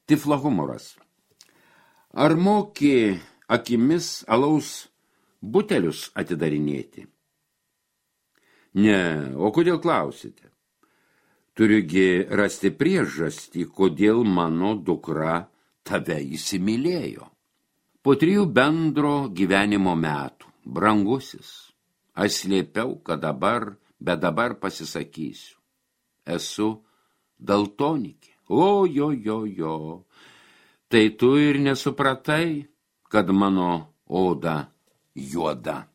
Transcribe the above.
Tiflo humoras. Ar moki akimis alaus butelius atidarinėti? Ne, o kodėl klausite? Turiugi rasti priežastį, kodėl mano dukra tave įsimylėjo. Po 3 bendro gyvenimo metų, brangusis, aš slėpiau, bet dabar pasisakysiu. Esu daltonikė. Jo. Tai tu ir nesupratai, kad mano oda juoda.